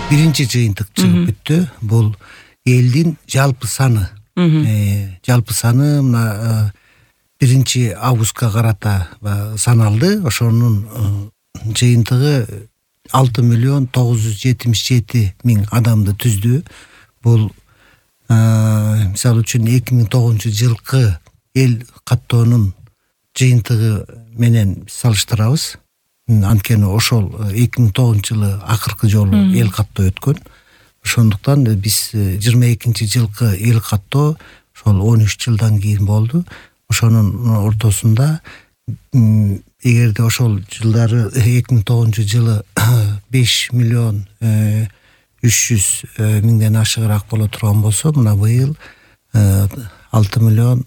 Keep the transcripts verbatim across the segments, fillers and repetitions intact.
биринчи жыйынтык чыгып бүттү. Бул элдин жалпы саны. Жалпы саны мына биринчи августка карата саналды. Ошонун жыйынтыгы алты миллион тогуз жүз жетимиш жети миң адамды түздү. Бул мисалы үчүн эки миң тогузунчу жылкы эл каттоонун жыйынтыгы менен салыштырабыз. Анткени ошол эки миң тогузунчу жылы акыркы жолу эл каттоо өткөн. Ошондуктан биз жыйырма экинчи жылкы эл каттоо ошол он үч жылдан кийин болду. Ошонун ортосунда эгерде ошол жылдары эки миң тогузунчу жылы беш миллион үч жүз миңден ашыгыраак боло турган болсо, мына быйыл алты миллион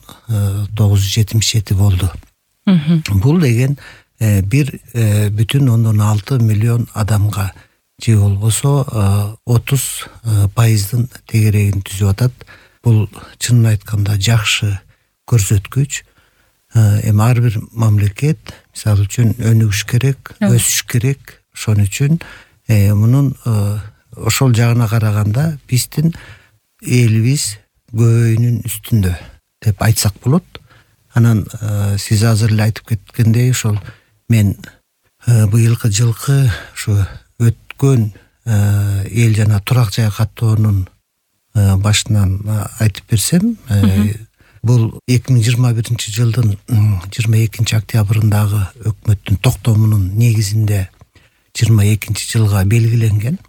тогуз жүз жетимиш жети болду. Бул деген бир бүтүн ондон алты миллион адамга же болбосо отуз пайыздын тегерегин түзүп атат. Бул чынын айтканда жакшы көрсөткүч. Эми ар бир мамлекет мисалы үчүн өнүгүш керек, өсүш керек. Ошон үчүн мунун ошол жагына караганда биздин элибиз көбөйүүнүн үстүндө деп айтсак болот. Анан сиз азыр эле айтып кеткендей, ошол мен быйылкы жылкы ушу өткөн эл жана турак жай каттоонун башынан айтып берсем, бул эки миң жыйырма биринчи жылдын жыйырма экинчи октябрындагы өкмөттүн токтомунун негизинде жыйырма экинчи жылга белгиленген.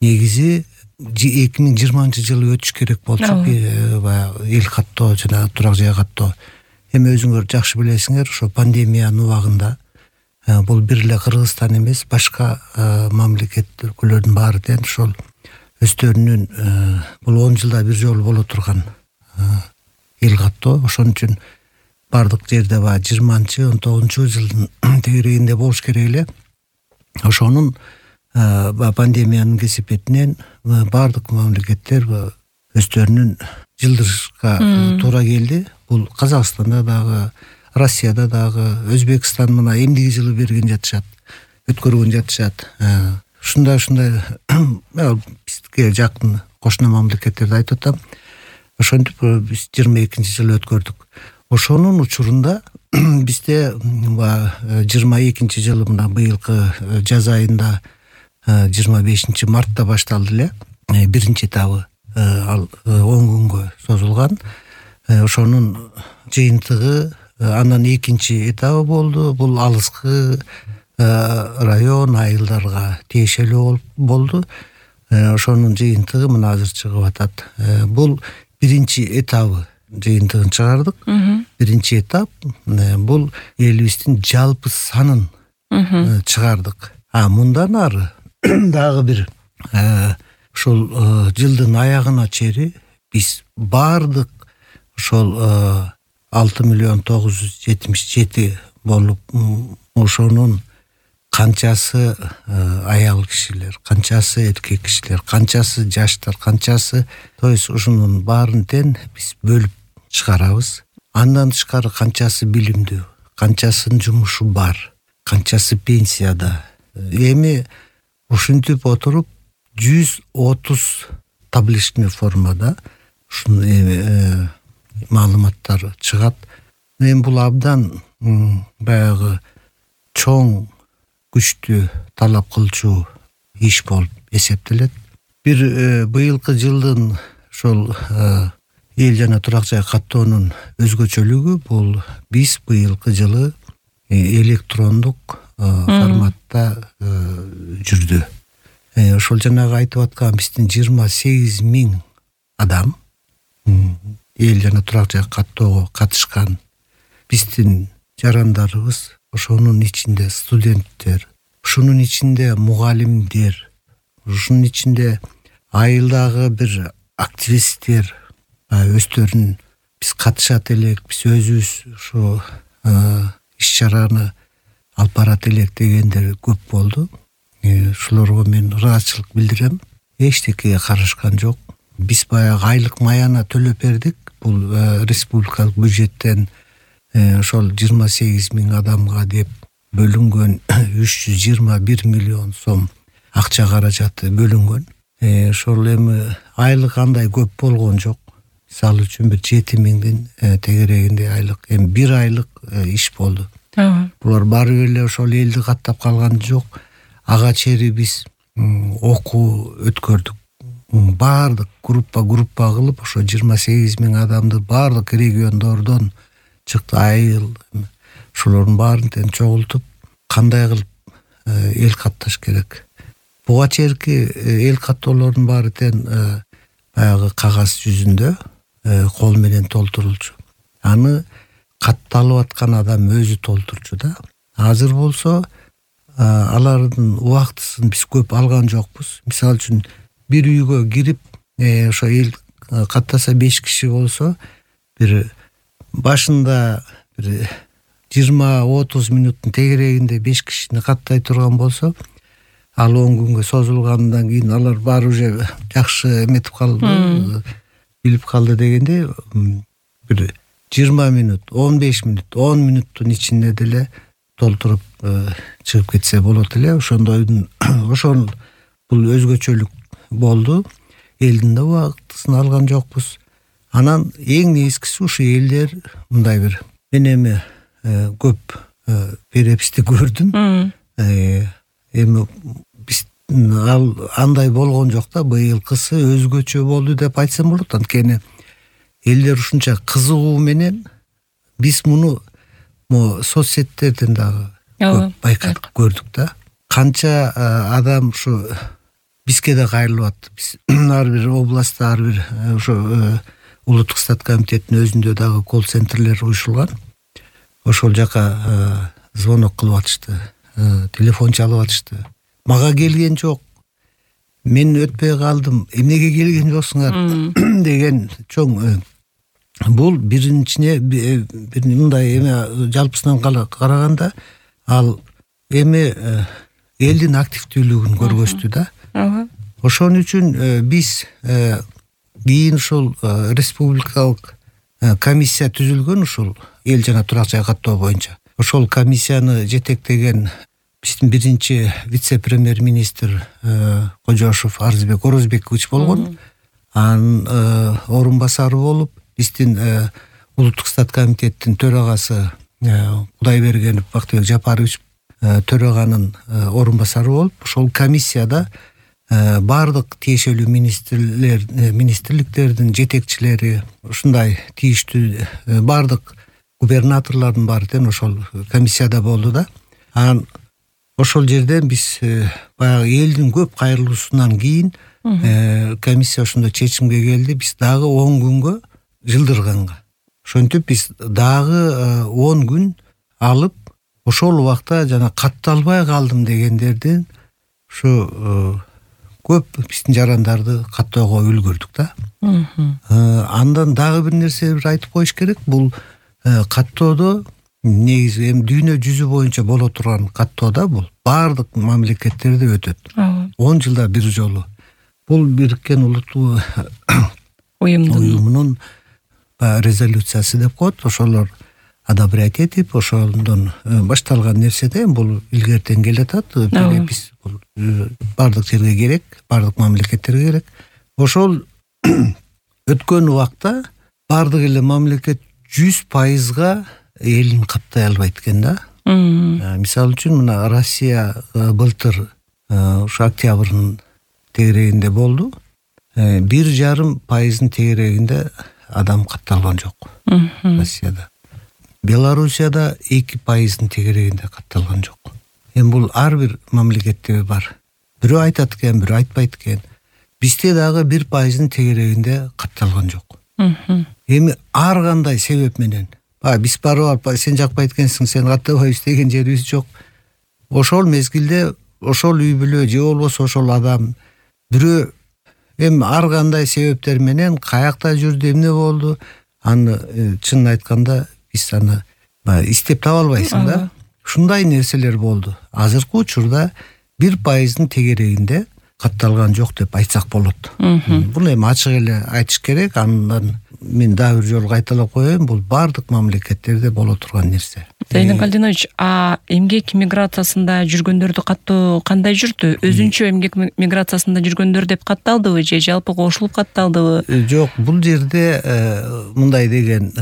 Негизи эки миң жыйырманчы жылы өтүш керек болчу эл каттоо жана турак жай каттоо. Эми өзүңөр жакшы билесиңер, ошо пандемиянын убагында бул бир эле Кыргызстан эмес, башка мамлекет өлкөлөрдүн баары тең ошол өздөрүнүн бул он жылда бир жолу боло турган эл каттоо. Ошон үчүн бардык жерде баягы жыйырманчы он тогузунчу жылдын тегерегинде болуш керек эле. Ошонун пандемиянын кесепетинен бардык мамлекеттер өздөрүнүн жылдырышка туура келди. Бул Казакстанда дагы, Россияда дагы, Өзбекстан мына эмдиги жылы берген жатышат, өткөргөн жатышат. Ушундай-ушундай бизге жакын кошуна мамлекеттерди айтып атам. Ошентип биз жыйырма экинчи жылы өткөрдүк. Ошонун учурунда бизде жыйырма экинчи жылы мына быйылкы жаз айында жыйырма бешинчи мартта башталды эле. Биринчи этабы ал он күнгө созулган. Ошонун жыйынтыгы андан экинчи этабы болду. Бул алыскы район айылдарга тиешелүү болду. Ошонун жыйынтыгы мына азыр чыгып атат. Бул биринчи этабы жыйынтыгын чыгардык. Биринчи этап бул элибиздин жалпы санын чыгардык. А мындан ары дагы бир ошол жылдын аягына чейин биз бардык ошол алты миллион тогуз жүз жетимиш жети болуп, ошонун канчасы аял кишилер, канчасы эркек кишилер, канчасы жаштар, канчасы, то есть ушунун баарын тең биз бөлүп чыгарабыз. Андан тышкары канчасы билимдүү, канчасынын жумушу бар, канчасы пенсияда. Эми ушинтип отуруп жүз отуз табличный формада ушун эми маалыматтар чыгат. Мен бул абдан баягы чоң, күчтүү, талап кылчу иш болуп эсептелет. Бир быйылкы жылдын ошол эл жана турак жай каттоонун өзгөчөлүгү бул биз быйылкы жылы электрондук форматта жүрдү. Ошол жанагы айтып аткан биздин жыйырма сегиз миң адам эл жана турак жай каттоого катышкан. Биздин жарандарыбыз, ошонун ичинде студенттер, ушунун ичинде мугалимдер, ушунун ичинде айылдагы бир активисттер өздөрүн биз катышат элек, биз өзүбүз ушу иш чараны алып барат элек дегендер көп болду. Ушуларга мен ыраазычылык билдирем. Эчтекеге карашкан жок. Биз баягы айлык маяна төлөп бердик. Бул республикалык бюджеттен ошол жыйырма сегиз миң адамга деп бөлүнгөн үч жүз жыйырма бир миллион сом акча каражаты бөлүнгөн. ошол эми айлык андай көп болгон жок. Мисалы үчүн бир жети миңдин тегерегинде айлык, эми бир айлык иш болду. Булар баары эле ошол элди каттап калган жок. Ага чейин биз окуу өткөрдүк. Баардык группа группа кылып ошо жыйырма сегиз миң адамды баардык региондордон чыкты, айыл ошолордун баарын тең чогултуп кандай кылып эл катташ керек. Буга чейинки эл каттоолордун баары тең баягы кагаз жүзүндө кол менен толтурулчу. Аны катталып аткан адам өзү толтурчу да. Азыр болсо алардын убактысын биз көп алган жокпуз. Мисалы үчүн бир үйгө кирип ошо эл каттаса беш киши болсо бир башында бир жыйырма отуз минуттун тегерегинде беш кишини каттай турган болсо, ал он күнгө созулгандан кийин алар баары уже жакшы эметип калды, билип калды дегенде бир жыйырма минут, он беш минут, он минуттун ичинде деле толтуруп чыгып кетсе болот эле. Ошондойдун ошол бул өзгөчөлүк болду. Элдин да убактысын алган жокпуз. Анан эң негизгиси ушу элдер мындай бир мен эми көп переписти көрдүм. Эми биз ал андай болгон жок да, быйылкысы өзгөчө болду деп айтсам болот. Анткени элдер ушунча кызыгуу менен биз муну мо соц сеттерден дагы көп байкап көрдүк да. Канча адам ушу бизге да кайрылып атты. Биз ар бир областта, ар бир ошо улуттук стат комитеттин өзүндө дагы колл-центрлер уюшулган. Ошол жака звонок кылып атышты, телефон чалып атышты. Мага келген жок, мен өтпөй калдым, эмнеге келген жоксуңар деген чоң. Бул биринчине бир мындай эме жалпысынан караганда ал эми элдин активдүүлүгүн көргөздү да. Ошон үчүн биз кийин ушул республикалык комиссия түзүлгөн, ушул эл жана турак жай каттоо боюнча. Ошол комиссияны жетектеген биздин биринчи вице-премьер-министр Кожошов Арзбек Орозбекович болгон. Анын орун басары болуп, биздин улуттук стат комитеттин төрагасы Кудайбергенов Бактыбек Жапарович төраганын орун басары болуп, ошол комиссияда баардык тиешелүү министрлер, министрликтердин жетекчилери, ушундай тийиштүү баардык губернаторлордун баары тең ошол комиссияда болду да. Анан ошол жерден биз баягы элдин көп кайрылуусунан кийин комиссия ошондой чечимге келди. Биз дагы он күнгө жылдырганга. Ошентип биз дагы он күн алып, ошол убакта жана катталбай калдым дегендердин ушу көп биздин жарандарды каттоого үлгүрдүк да. Андан дагы бир нерсе айтып коюш керек. Бул каттоодо негизи эми дүйнө жүзү боюнча боло турган каттоодо бул баардык мамлекеттерде өтөт. он жылда бир жолу. Бул Бириккен Улуттуу уюмунун резолюциясы деп коет. Ошолор одобрять этип, ошондон башталган нерседе бул илгертен келатат. Биз бул баардык жерге керек, баардык мамлекеттерге керек. Ошол өткөн убакта баардык эле мамлекет жүз пайызга элин каттай албайт экен да. Мисалы үчүн мына Россия былтыр ушу октябрдын тегерегинде болду. Бир жарым пайыздын тегерегинде адам катталган жок Россияда. Белоруссияда эки пайыздын тегерегинде катталган жок. Эми бул ар бир мамлекетте бар. Бирөө айтат экен, бирөө айтпайт экен. Бизде дагы бир пайыздын тегерегинде катталган жок. Эми ар кандай себеп менен, биз барып алып, сен жакпайт экенсиң, сен каттабайбыз деген жерибиз жок. Ошол мезгилде ошол үй бүлө же болбосо ошол адам бирөө эми ар кандай себептер менен каякта жүрдү, эмне болду, аны чынын айтканда биз аны издеп таба албайсың да. Ушундай нерселер болду. Азыркы учурда бир пайыздын тегерегинде катталган жок деп айтсак болот. Буну эми ачык эле айтыш керек. Андан мен дагы бир жолу кайталап коеюн, бул баардык мамлекеттерде боло турган нерсе. Зайнек Алдинович, а эмгек миграциясында жүргөндөрдү каттоо кандай жүрдү? Өзүнчө эмгек миграциясында жүргөндөр деп катталдыбы же жалпы кошулуп катталдыбы? Жок, бул жерде мындай деген,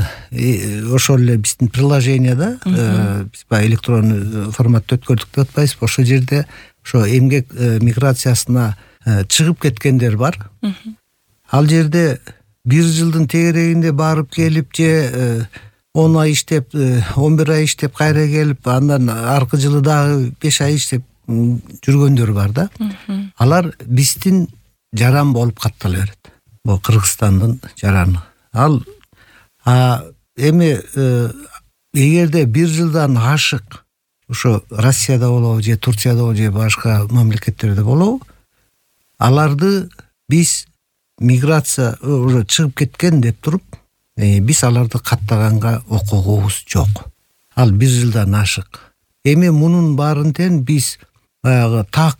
ошол эле биздин приложенияда биз баягы электронный форматта өткөрдүк деп атпайбызбы? Ошол жерде ошо эмгек миграциясына чыгып кеткендер бар. Ал жерде бир жылдын тегерегинде барып келип же он ай иштеп, он бир ай иштеп кайра келип, андан аркы жылы дагы беш ай иштеп жүргөндөр бар да. Алар биздин жаран болуп каттала берет. Бул Кыргызстандын жараны. Ал эми эгерде бир жылдан ашык ошо Россияда болобу же Турцияда болобу же башка мамлекеттерде болобу, аларды биз миграция уже чыгып кеткен деп туруп, биз аларды каттаганга укугубуз жок. Ал бир жылдан ашык. Эми мунун баарын тең биз баягы так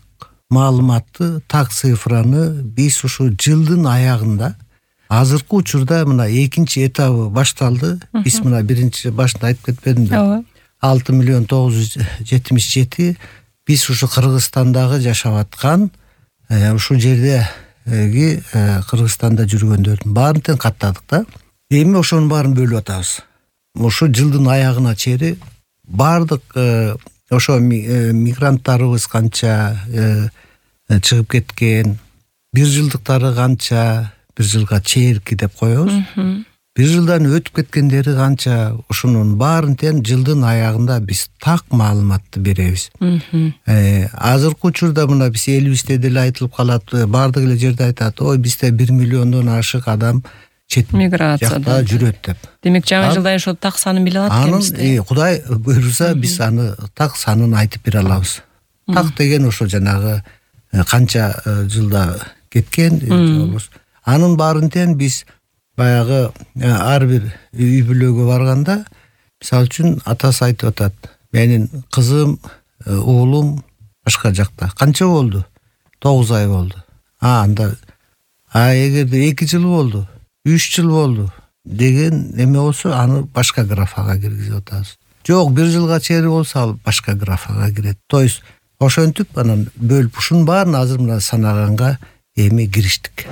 маалыматты, так цифраны биз ушу жылдын аягында, азыркы учурда мына экинчи этабы башталды. Биз мына биринчи башында айтып кетпедимби? алты миллион тогуз жүз жетимиш жети биз ушу Кыргызстандагы жашап аткан, ушул жердеги Кыргызстанда жүргөндөрдүн баарын тең каттадык да. Эми ошонун баарын бөлүп атабыз. Ошо жылдын аягына чейин баардык ошо мигранттарыбыз канча чыгып кеткен, бир жылдыктары канча, бир жылга чейинки деп коебуз. Бир жылдан өтүп кеткендери канча, ошонун баарын тең жылдын аягында биз так маалыматты беребиз. Азыркы учурда мына биз элибизде деле айтылып калат, баардык эле жерде айтат, ой бизде бир миллиондон ашык адам чет миграцияда жүрөт деп. Демек жаңы жылда ошо так санын биле алат экенбиз. Анын Кудай буйруса биз аны так санын айтып бере алабыз. Так деген ошо жанагы канча жылда кеткен, анын баарын тең биз баягы ар бир үй бүлөгө барганда, мисалы үчүн атасы айтып атат, менин кызым, уулум башка жакта. Канча болду? тогуз ай болду. А анда а эгерде эки жыл болду, үч жыл болду деген эме болсо, аны башка графага киргизип атабыз. Жок, бир жылга чейин болсо, ал башка графага кирет. То есть ошентип анан бөлүп ушунун баарын азыр мына санаганга эми кириштик.